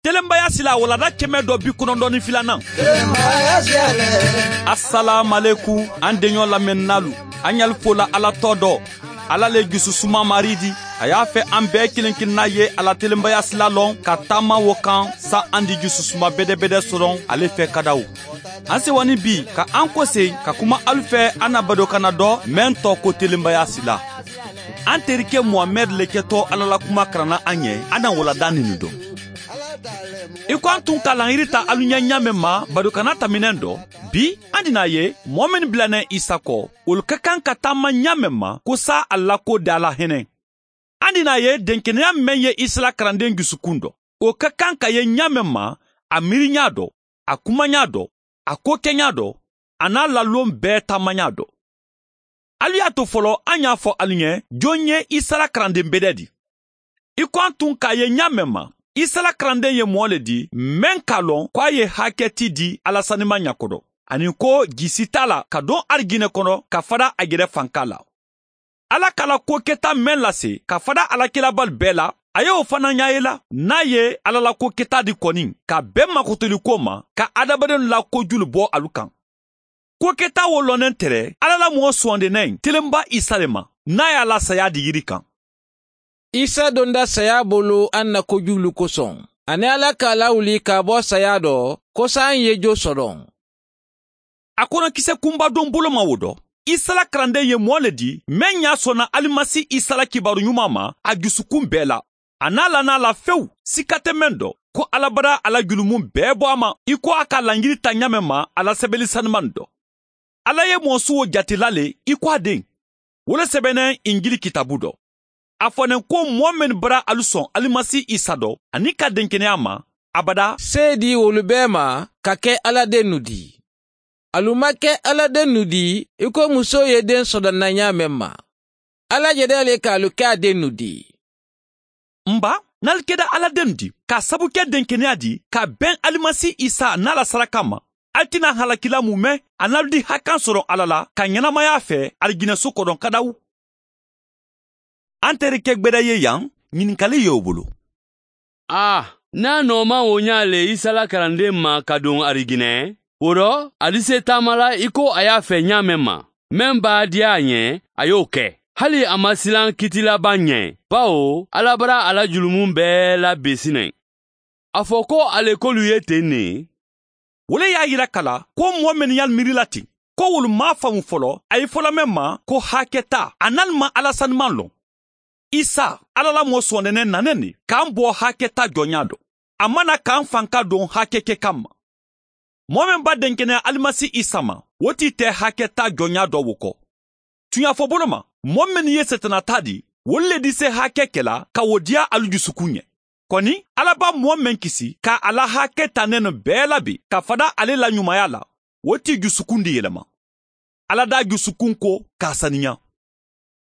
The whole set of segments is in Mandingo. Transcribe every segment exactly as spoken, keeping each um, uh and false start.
Telenbaya sila walanda kɛmɛ dɔ bi kɔnɔntɔn ni filanan. Asalaamualeykum, an deɲɔ lamɛnninaalu, an ɲali fo la Ala tɔgɔ dɔ. Ala le jususuma Maari di. A y'a fɛ an bɛɛ kelen-kelenna ye a la telenbaya sila lɔn ka taama wo kan, sa an di jususuma bɛdɛbɛdɛ sɔrɔ ale fɛ kadaw. An sewa ni bi ka an kosegin ka kuma alu fɛ, an na badokanna dɔ mɛn tɔgɔ ko telenbaya sila. An terikɛ Muhamɛdi le kɛtɔ Ala la kuma karanna an ye, an na walanda nini dɔn. I ko an tun ka laɲini ta alu ɲɛ ɲaamɛ ma badokanna tɛmɛnen dɔ, bi an dina a ye mɔgɔ mennu bilannen Isa kɔ, olu ka kan ka taama ɲaamɛ ma ko sa a la ko da la hɛnɛ. An dina a ye denkeneya meŋ ye Isa la karanden jusukun dɔ, o ka kan ka ye ɲaamɛ ma a miiriɲa dɔ, a kumaɲa dɔ, a kokɛɲa dɔ, a n'a lalon bɛɛ taamaɲa dɔ. Alu y'a to fɔlɔ an y'a fɔ alu ɲɛ jon ye Isa la karanden bɛdɛ di. I ko an tun k'a ye ɲaamɛ ma, Isa la karanden ye mɔgɔ le di meŋ k'a lɔn ko a ye hakɛ ti di Ala sanima ɲa kɔdɔ, ani ko ji si t'a la ka don arijinɛ kɔnɔ ka fada a yɛrɛ fanka la. Ala ka la ko keta meŋ lase ka fada alakilabali bɛɛ la, a ye o fana ɲa ye la, n'a ye Ala la ko keta di kɔni ka bɛn makotoliko ma ka adamadenw la kojulu bɔ alu kan. Ko keta wo lɔnnen tɛrɛ Ala la mɔgɔ suwandennen telenba Isa le ma, n'a y'a la saya di yiri kan. Isa donda saya bolo an na kojulu kosɔn, ani Ala k'a lawuli ka bɔ saya dɔ, ko sa an ye jo sɔrɔ. A kɔnɔkisɛ kunbadon boloma wo dɔ, Isa la karanden ye mɔgɔ le di meŋ y'a sɔnna Alimasi Isa la kibaru ɲuman ma a jusukun bɛɛ la, a n'a la n'a la fewu, sika tɛ meŋ dɔ, ko Ala bara a la julumu bɛɛ bɔ a ma, i ko a ka laɲini ta ɲaamɛ ma a la sɛbɛli saniman dɔ. Ala ye mɔgɔ su wo jatela le i ko a den. Wo le sɛbɛnnen Injili kitabu dɔ. A fɔnen ko mɔgɔ mennu bara alu sɔn Alimasi Isa dɔ ani ka denkeneya ma, abada. Se di wolu bɛɛ ma ka kɛ Ala dennu di. Alu ma kɛ Ala dennu di i ko muso ye den sɔdɔnna ɲaamɛ ma. Ala jɛda le k'alu kɛ a dennu di. N ba, n'alu kɛda Ala dennu di k'a sabu kɛ denkeneya di ka bɛn Alimasi Isa n'a la saraka ma, alu tɛna halakila mu mɛn a n'alu di hakan sɔrɔ Ala la ka ɲɛnamaya fɛ arijinɛso kɔnɔ kadawu. An terikɛ gbɛdɛ ye yan, ɲininkali ye o bolo. A, n'a nɔɔma wo ɲa le Isa la karanden ma ka don arijinɛ, wo dɔ a dise taama la i ko a y'a fɛ ɲaamɛ ma, meŋ b'a diya a ɲɛ a y'o kɛ. Hali a ma silan kitilaban ɲɛ, bawo Ala bara a la julumu bɛɛ la be sinan. A fɔ ko a le k'olu ye ten ne. Wo le y'a yira ka la ko mɔgɔ mennu y'alu miirila ten, ko wolu m'a faamu fɔlɔ a ye fɔla meŋ ma ko hakɛ ta, a n'alu ma Ala saniman lɔn. Isa, Ala la mɔgɔ sɔnɛnɛ nanen de k'an bɔ hakɛ ta jɔnya dɔ. A ma na k'an fan ka don hakɛ kɛ kan ma. Mɔgɔ meŋ ba denkeneya Alimasi Isa ma, wo t'i tɛ hakɛ ta jɔnya dɔ wo kɔ. Tuɲafɔbolo ma, mɔgɔ mennu ye Setanɛ ta di, wolu le dise hakɛ kɛla ka wo diya alu jusukun ɲɛ. Kɔni, Ala ba mɔgɔ meŋ kisi ka a la hakɛ ta nɛnɛ bɛɛ labe ka fada ale la ɲumanya la, wo t'i jusukun de yɛlɛma. Ala d'a jusukun ko k'a saniya.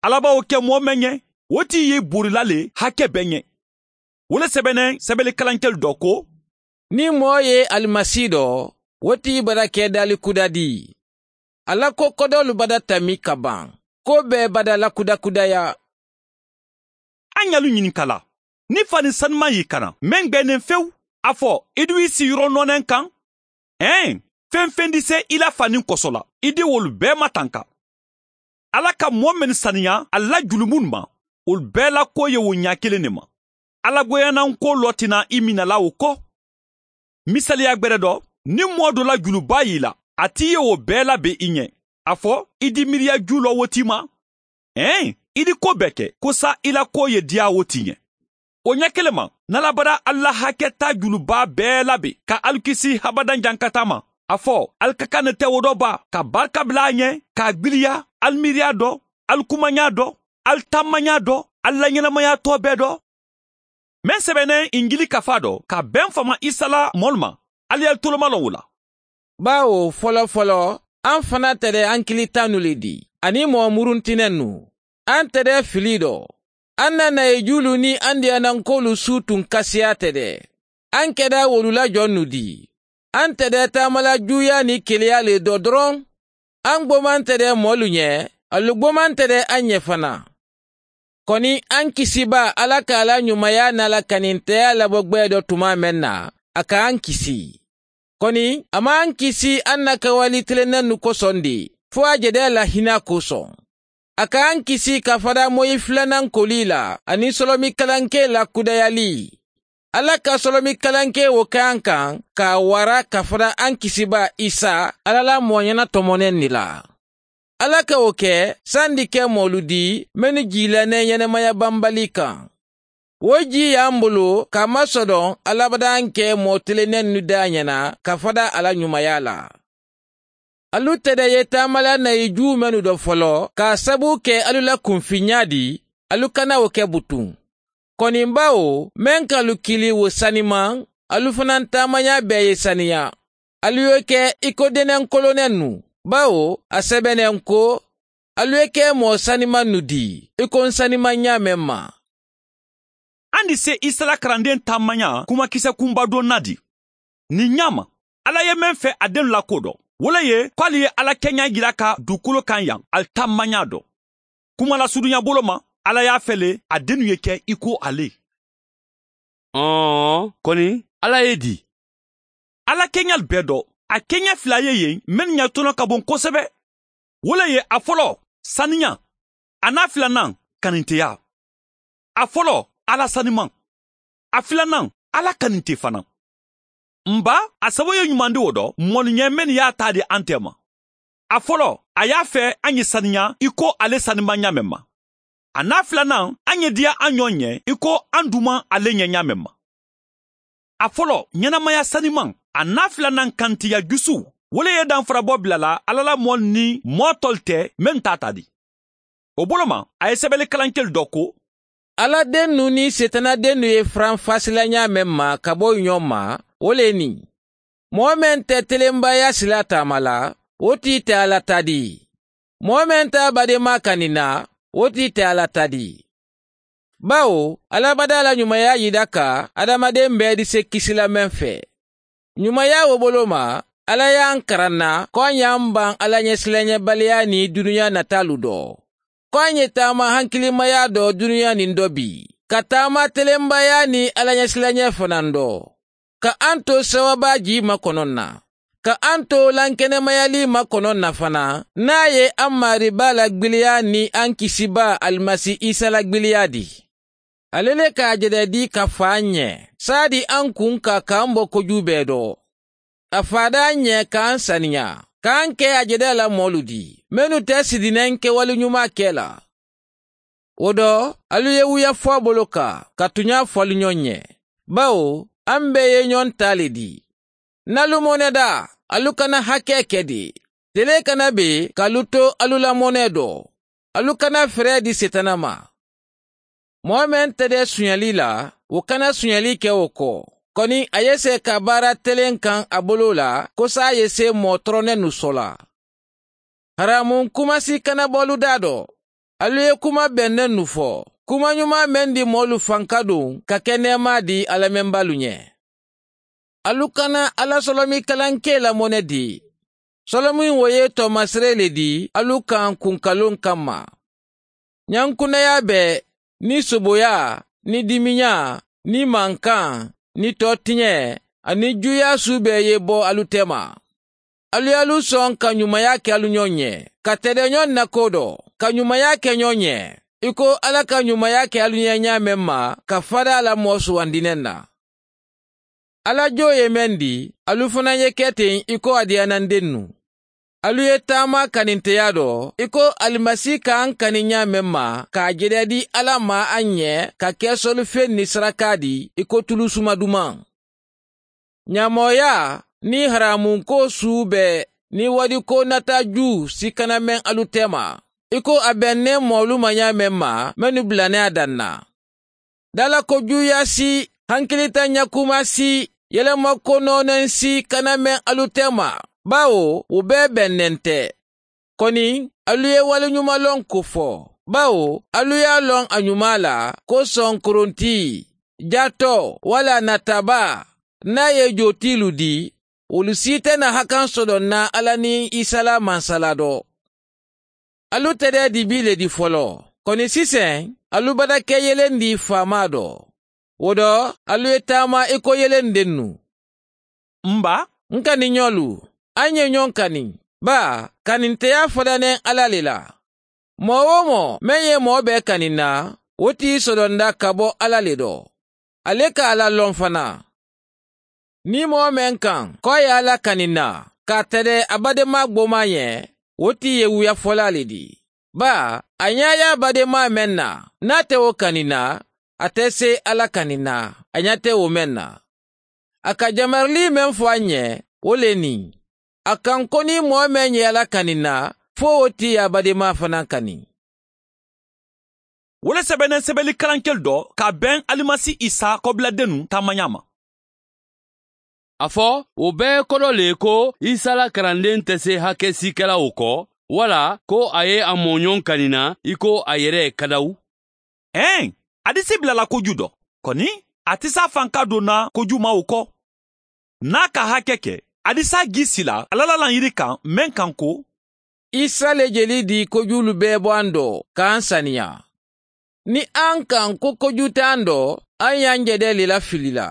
Ala b'a wo kɛ mɔgɔ meŋ ɲɛ, wo t'i ye borila le hakɛ bɛɛ ɲɛ. Wo le sɛbɛnnen sɛbɛlikalankɛlu dɔ ko, ni mɔɔ ye Alimasi dɔ, wo t'i bada kɛ dali kuda di. A la ko kɔdɔlu bada tami ka ban, ko bɛɛ bada lakudakudaya. An y'alu ɲininka la, ni fani saniman y'i kana meŋ gbɛnnen fewu, a fɔ i du i si yɔrɔ nɔɔnɛn kan? Ɛɛn, fɛn fɛn di se i la fani kɔsɔ la, i di wolu bɛɛ matanka. Ala ka mɔɔ mennu saniya a la julumunnu ma, wolu bɛɛ la ko ye wo ɲa kelen ne ma. Ala goyananko lɔ tina i minala wo kɔ. Misaliya gbɛrɛ dɔ, ni mɔɔ dɔ la juluba y'i la, a t'i ye wo bɛɛ labe i ɲɛ. A fɔ i di miiriya ju lɔ wo t'i ma. Ɛɛn, i di ko bɛɛ kɛ ko sa i la ko ye diya wo t'i ɲɛ. O ɲɛ kelen ma, n'ala bara alu la hakɛ ta juluba bɛɛ labe ka alu kisi habadan jankataa ma, a fɔ alu ka kan ne tɛ wo dɔ ba ka barika bila a ɲɛ, k'a gbiliya alu miiriya dɔ, alu kumaɲa dɔ, alu taamaɲa dɔ, alu laɲɛnamayatɔ bɛɛ dɔ. Meŋ sɛbɛnnen injili kafa dɔ ka bɛn fama isa la mɔlu ma, alu ye alu tolomalɔn wo la. Bawo fɔlɔfɔlɔ, an fana tɛ dɛ an kilitannu le di, ani mɔɔ muruntinɛnnu. An tɛ dɛ fili dɔ. An na nayejuulu ni an diyanankoolu su tun kasiya tɛ dɛ. An kɛda wolu la jɔnnu di. An tɛ dɛ taamala juuya ni keleya le dɔ dɔrɔn. An gboman tɛ dɛ mɔɔlu ɲɛ, alu gboman tɛ dɛ an ɲɛ fana. Koni ankisibaa, ala ka a la ñumaya niŋ a la kaninteyaa labo gbee do tumaa meŋ na, a ka ankisi. Koni a maŋ ankisi aŋ na kawali tilenennu kosoŋ de, fo a je de a la hinaa kosoŋ. A ka ankisi ka fada moyi filanaŋ kolii la aniŋ solomikalankee la kudayalii. Ala ka solomikalankee wo ke aŋ kaŋ ka a wara ka fada ankisibaa isa, ala la mooñana tomoneŋ ni la. Ala ka wo ke sandi ke moolu dii mennu jiilaneŋ yenemaya bambalii kaŋ. Wo jii ye a mbulu ka masodoŋ alabadaŋ ke moo telenennu daañana ka fada a la ñumaya la. Alu tede ye taamala nayi juu mennu do folo ka a sabu ke alu la kunfiñaa di, alu kana wo ke butuŋ. Koni bawo meŋ ka alu kili wo sanimaŋ, alu fanaŋ taamañaa bee ye saniyaa. Alu ye ke i ko deneŋ kolonennu, bawo a sebeneŋ ko, alu ye ke moo sanimannu dii i ko n sanimaŋ ñaameŋ ma. Andi se isa la karandeŋ taamañaa kumakisa kunba doŋ na di. Niŋ ñaama, ala ye meŋ fe a dennu la koo do, wo le ye ko ali ye ala keñaa jira ka dukolo kaŋ yaŋ ali taamañaa do. Kuma la suduña bolo ma, ala ye a fe le a dennu ye ke i ko ale. Ɔɔ koni ala ye di. Ala keñal bee do, a keña fila ye yen mennu ña tono ka boŋ kosebe. Wo le ye a folo, saniya, a naa filanaŋ, kaninteya. A folo, ala sanimaŋ. A filanaŋ, ala kaninte fanaŋ. Mba, a sabo ye ñumandi wo do moolu ñe mennu ye a taa di ante ma. A folo, a ye a fe a ñe saniya i ko ale sanimaŋ ñaameŋ ma. A naa filanaŋ, a ñe diya a ñoo ñe i ko a dumaŋ ale ñe ñaameŋ ma. A folo, ñenamaya sanimaŋ. A naa filanaŋ, kantiya jusu. Wo le ye danfara bo bila la ala la moolu niŋ moo tolu te mennu taata di. Wo bolo ma, a ye sebelikalankelu do ko, ala dennu niŋ seetana dennu ye faranfaasi la ñaameŋ ma ka bo ñoo ma, wo le niŋ moo meŋ te telembaaya silaa taama la, wo tii te a la tadi. Moo meŋ te a bademaa kani na, wo tii te a la tadi. Bawo alabadaa la ñumayaa yida ka adamadeŋ bee dise kisi la meŋ fe. Ñumayaa wo bolo ma, ala ye a n karanna ko a ñaŋ baŋ ala ñesilañebaliyaa niŋ duniyaa nataalu do, ko a ñe taama hankilimayaa do duniyaa niŋ do bii, ka taama telembayaa niŋ ala ñesilañee fanaŋ do, ka a n to sewabaa jii makonoŋ na, ka a n to lankenemayalii makonoŋ na fanaa, niŋ a ye a maari baa la gbiliyaa niŋ a n kisibaa alimasi isa la gbiliyaa di. Ale le ka a jededi ka faa n ñe, saadi a n kunka ka a n bo kojuu bee do. A faada a n ñe ka a n saniyaa, ka a n ke a jedeela moolu di mennu te sidinaŋ kewali ñumaa ke la. Wo do, alu ye wuya fo a bolo ka ka tuñaa fo alu ñoŋ ñe, bawo a m bee ye ñoŋ taa le di. N na lu mone daa, alu kana hakee ke de. Telee kana be ka alu to alu la mone do. Alu kana feree di seetana ma. Moo meŋ te de suñali la, wo kana suñali ke wo ko. Koni a ye see ka baara teleŋ kaŋ a boloo la, ko saa ye see moo toronennu sola. Haraamun kuma si kana bo alu daa do. Alu ye kuma bennennu fo, kuma ñumaa meŋ di moolu fankaduŋ ka ke neemaa di a lamembaalu ñe. Alu kana alla solomikalankee la mone di. Solomiŋ wo ye toomasiree le di alu kaŋ kunkaluŋ kamma. Ñankunayaa bee, niŋ soboyaa, niŋ dimiñaa, niŋ mankaŋ, niŋ tootiñee, aniŋ juuyaa suu bee ye bo alu tema. Alu ye alu soŋ ka ñumaya ke alu ñoŋ ye, ka tede ñoŋ na koo do, ka ñumaya ke ñoŋ ye, i ko alla ka ñumaya ke alu ye ñaameŋ ma ka fada a la moo suwandi neŋ na. Alla joo ye meŋ di, alu fanaa ye ke teŋ i ko a diyaanandennu. Alu ye taama kaninteyaa do i ko alimasi ka a kani ñaameŋ ma, ka a jedeedi alla ma a ŋ ye ka ke solifeŋ ni sarakaa di i ko tulusumadumaŋ. Ñaamooyaa niŋ haraamunkoo suu bee niŋ wadikoo nata juu si kana meŋ alu tema, i ko a be neŋ moolu ma ñaameŋ ma mennu bila ne a daŋ na. Daalako juuyaa si, hankilitañakumaa si, yelema ko nooneŋ si kana meŋ alu tema, baawo wo bee be neŋ te. Koni alu ye waliñumaloŋ ko fo, baawo alu ye a loŋ a ñumaa la ko sonkorontii, jatoo walla natabaa, niŋ a ye jootiilu dii, wolu si te na hakaŋ sodoŋ na alla niŋ isa la mansala do. Alu tedee dibii le di foloo, koni siseŋ alu bata ke yelendi faamaa do. Wo do alu ye taama i ko yelendennu. M ba, n kaniñolu, alu ye ñoŋ kani. Baa kaninteyaa fadaneŋ alla le la. Moo-wo-moo meŋ ye moo bee kani n na, wo ti i sodonda ka bo alla le do. Ali ka a la loŋ fanaa. Niŋ moo meŋ kaŋ ko a ye alla kani n na, ka a tara a bademaa gbomaa ñe, wo ti i ye wuyafolaa le dii. Baa a ñaa ye a bademaa meŋ na, niŋ a te wo kani n na, a te seyi alla kani n na a ñaa te wo meŋ na. A ka jamaralii meŋ fo a ñe, wo le niŋ a kaŋ ko niŋ moo meŋ ye alla kani n na, fo wo ti ye a bademaa fanaa kani. Wo le sebeneŋ sebeli kalankelu do ka a beŋ alimasi isa kobiladennu taamañaa ma. A fo wo bee kodo le ko isa la karandeŋ te see hake siikelawo ko, walla ko a ye a mooñoŋ kani na i ko a yere kadawu. Eeŋ, a disi bilala koju do. Koni a ti saa fanka do na kojumawo ko. Niŋ a ka hake ke, a disi a gii sila alla la laŋ yiri kaŋ meŋ kaŋ ko, isa le jeli dii kojuulu bee bo a n do ka a n saniyaa. Niŋ a n kaŋ ko koju te a n do, a n ye a n jedee le lafili la.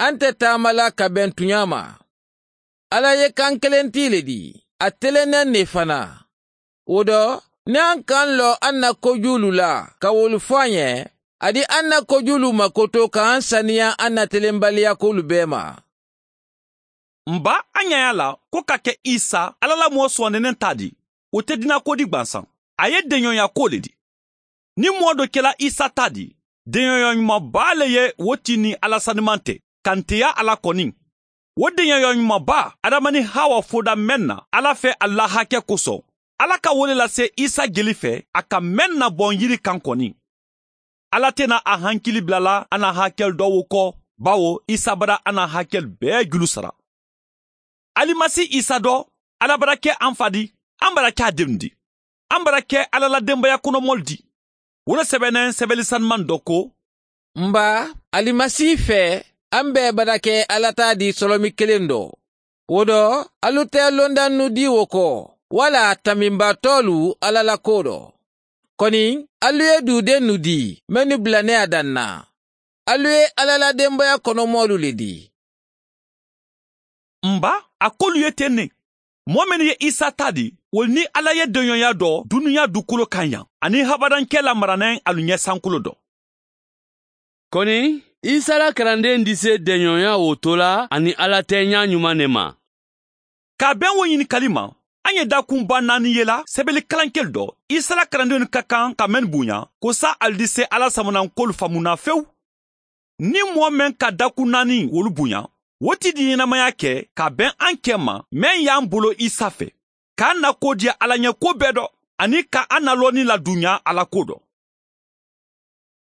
A n te taama la ka beŋ tuñaa ma. Alla ye kaŋ keleŋ tii le dii, a teleneŋ ne fanaa. Wo do niŋ a n kaŋ loo a n na kojuulu la ka wolu fo a ñe, a di a n na kojuulu makoto ka a n saniyaa a n na telenbaliyaa koolu bee ma. M ba, a ñayaa la ko ka ke isa alla la moo suwandineŋ taa di, wo te dinaa koodi gbansaŋ. A ye deñoyaa koo le di. Niŋ moo do kela isa taa di, deñoyaa ñuman baa le ye wo ti niŋ alla sanimaŋ te, kanteyaa a la koniŋ. Wo deñoyaa ñuman baa adama niŋ hawa foda meŋ na alla fe alu la hake koso, alla ka wo le lase isa jeli fe a ka meŋ na boŋ yiri kaŋ koniŋ. Alla te na a hankili bilala a na hakelu do wo ko, bawo isa bada a na hakelu bee julu sara. Alimasi isa do, alla bada ke a n fa di, a n bada ke a dennu di, a n bada ke alla la denbaya kono moolu di. Wo le sebeneŋ sebeli sanimaŋ do ko, m ba, alimasi fee, a n bee bada ke alla taa di solomi keleŋ do. Wo do, alu te londannu dii wo ko, walla tamminbaatoolu alla la koo do. Koni alu ye duudennu dii mennu bila ne a daŋ na. Alu ye alla la denbaya kono moolu le dii. M ba, a kolu ye teŋ ne. Moo mennu ye isa taa di, wolu niŋ alla ye deñoyaa do duniyaa dukulo kaŋ yaŋ, aniŋ habadankee la maraneŋ alu ñe sankulo do. Koni isa la karandeŋ disee deñoyaa wo to la aniŋ alla teeñaa ñumaŋ ne ma. Ka a beŋ wo ñinikali ma, a ñe daakuŋ baa naani ye la sebeli kalankelu do isa la karandeŋolu ka kaŋ ka mennu buuña, ko saa ali disee alla samanankoolu famunaa fewu. Niŋ moo meŋ ka daakuŋ naani wolu buuña, wo ti di ñenemayaa ke ka a beŋ a n kee ma meŋ ye a n bolo isa fe, ka a n na koo diya alla ñe koo bee do, aniŋ ka a n na looni laduuñaa alla koo do.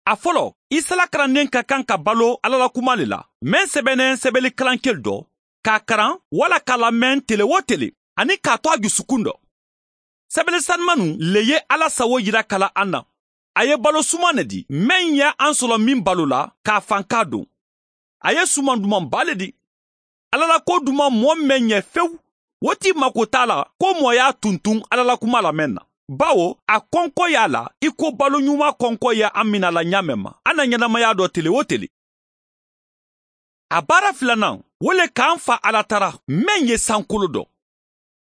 A foloo, isa la karandeŋ ka kaŋ ka baloo alla la kumaa le la, meŋ sebeneŋ sebeli kalankelu do, ka a karaŋ walla ka a lameŋ tele-wo-tele, aniŋ ka a to a jusukuŋ do. Sebele sanimannu le ye alla sawo yira ka la a na. A ye baloo sumaŋ ne di meŋ ye a n solomiŋ baloo la, ka a fankaa duŋ. A ye sumaŋ dumaŋ baa le di. Alla la koo dumaŋ moo meŋ ñe fewu, wo ti makotaa la ko moo ye a tuntuŋ alla la kumaa la meŋ na, bawo a konkoyaa la i ko baloo ñumaa konkoo ye a mina la ñaameŋ ma a na ñenemayaa do tele-wo-tele. A baara filanaŋ, wo le ka a n fa alla tara meŋ ye sankolo do.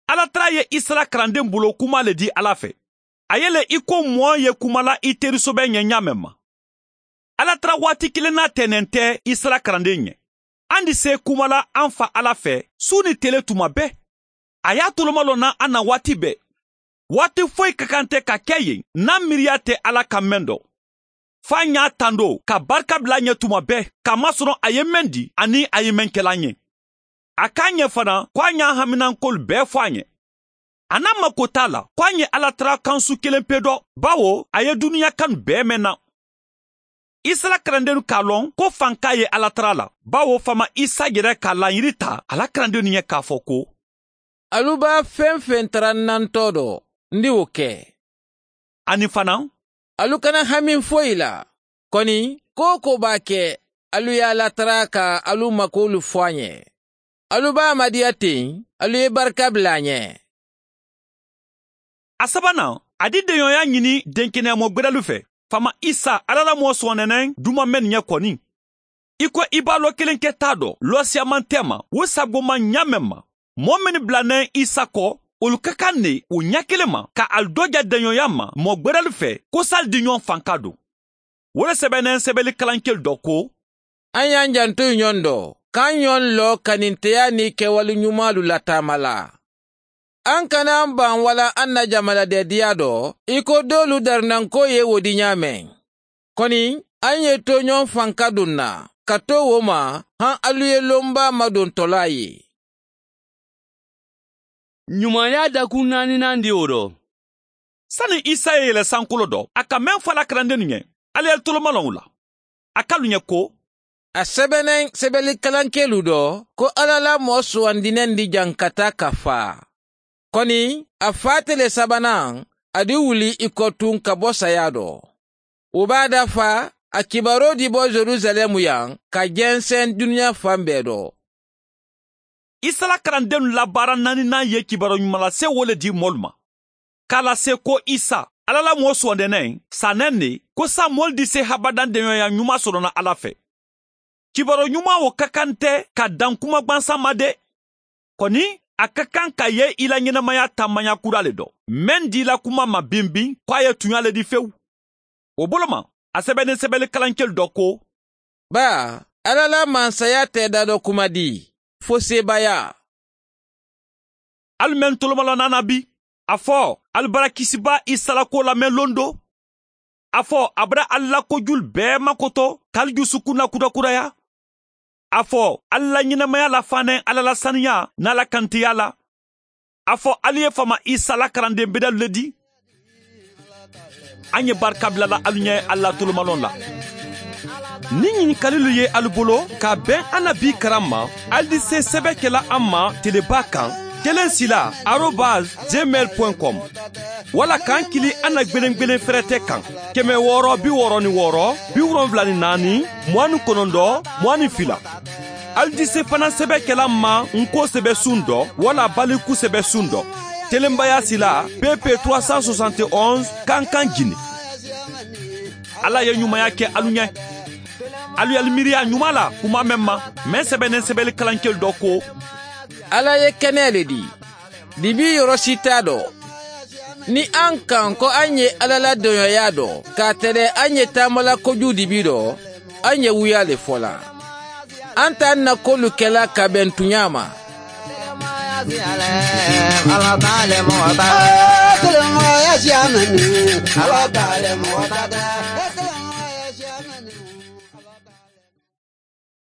Alla tara ye isa la karandeŋ buloo kumaa le dii alla fe. A ye le i ko moo ye kumala i terisobee ñe ñaameŋ ma. Alla tara waati kilinnaa teeneŋ te isa la karandeŋ ñe. A n disee kumala a n fa alla fe suu niŋ tele tuma bee. A ye a tolomaloo naŋ a na waati bee. Waati foyi ka kaŋ te ka ke yen niŋ a miiriyaa te alla kaŋ meŋ do. Fo a ñaa tandoo ka barika bila a ñe tuma bee ka masoroŋ a ye meŋ di aniŋ a ye meŋ ke la a ñe. A ka a ñe fanaa ko a ñaa haminankoolu bee fo a ñe. A na a makotaa la ko a ñe alla tara kansu keleŋ pe do, bawo a ye duniyaa kanu bee meŋ na. Isa la karandennu ka a loŋ ko fankaa ye alla tara la, bawo faama isa yere ka a laayiri taa a la karandennu ye ka a fo ko, alu be a feŋ feŋ tarannantoo do, n di wo ke. Aniŋ fanaa, alu kana hami foyi la. Koni ko wo ko be a ke, alu ye a latara ka alu makuwolu fo a ñe. Alu be a madiya teŋ, alu ye barika bila a ñe. A sabanaa, a di deñooyaa ñini denkeneyamoo gbedalu fe. faama isa alla la moo suwandeneŋ duma mennu ɲe koni. I ko i be a loo kiliŋ ke taa do loosiyamanteema wo sagooma ɲaa meŋ ma, moo mennu bila neŋ isa ko wolu ka kaŋ ne wo ɲaa kiliŋ ma ka ali dooja deɲoyaa ma moo gberelu fee ko saalu di ɲoŋ fanka duŋ. Wo le sebeneŋ sebeli kalankelu do ko a ye a jantu ɲoŋ do ka ɲoŋ loo kaninteyaa niŋ kewali ɲumaalu la taama la. A n kana a n baŋ walla a n na jamaladeediyaa do i ko doolu darinankoo ye wo di ɲaameŋ. Koni a ye tooɲoŋ fanka duŋ na ka too wo ma, haŋ alu ye lombaa madontolaa ye. Ɲumaayaa dakun naaninan di wo do. Sani isa ye yele sankulo do a ka meŋ fo a la karandennu ɲe, ali ye tolomalonwu la. A ka alu ɲe ko a sebeneŋ sebeli kalankelu do ko alla la moo suwandineŋ di jaŋ ka taa ka faa. Koni a faa tele sabanan a di wuli i kotuŋ ka bo sayaa do. Wo be a dafa a kibaaroo di bo yerusalemu yaŋ ka jenseŋ duniyaa fan bee do. Isa la karandennu la baara naaninan ye kibaaroo ɲuman lase wo le di moolu ma, ka a lase ko isa alla la moo suwandeneŋ saaneŋ ne ko saamoolu di se habadan deɲoyaa ɲuman soto na alla fee. Kibaaroo ɲuman wo ka kaŋ nte ka daŋ kuma gbansaŋ ma de. Koni a ka kaŋ ka ye i la ɲenemayaa taamaɲa kura le do meŋ di i la kuma ma bimbiŋ ko a ye tuɲaa le di fewu. Wo bolo ma a sebeneŋ sebeli kalankelu do ko baa alla la mansayaa teeda do kuma di fo seebaayaa. Ali meŋ tolomalonnaana bi a fo ali bara kisibaa isa la kuwo la meŋ londo. A fo a bara ali la kojulu bee makoto ka ali jusukunna kurakuraya. A fo ali la ɲenemayaa la faanaŋ alla la saniyaa niŋ a la kantiyaa la. A fo ali ye faama isa la karandeŋ bedalu le di. A ɲe barika bila la alu ɲe alla tolomaloŋ la. Niŋ ɲinikalilu ye alu bolo ka a beŋ annabi karaŋ ma, ali di se sebe ke la a ma telebaa kaŋ, keleŋ sila arobas gmail point com. Walla ka a kili anna gbelengbelen ferete kaŋ, keme wooro bi wooro ni wooro bi wolonwula ni naani muwaani konondo muwaani fila. Ali di se fanaŋ sebe ke la a ma n ko sebe suŋ do walla baliku sebe suŋ do, telenbayaa sila pp trois cent soixante et onze kankaŋ jini. Alla ye ɲumaya ke alu ɲe. Alu ye alu miiriya ɲuman la kuma meŋ ma, meŋ sebeneŋ sebeli kalankelu do ko alla ye kenee le di dibi yoro si taa do. Niŋ a n kaŋ ko a n ye alla la doɲoyaa do ka a tele a n ye taamala kojuu dibi do, a n ye wuyaa le fo la. A n ta n na koolu ke la ka beŋ tuɲaa ma.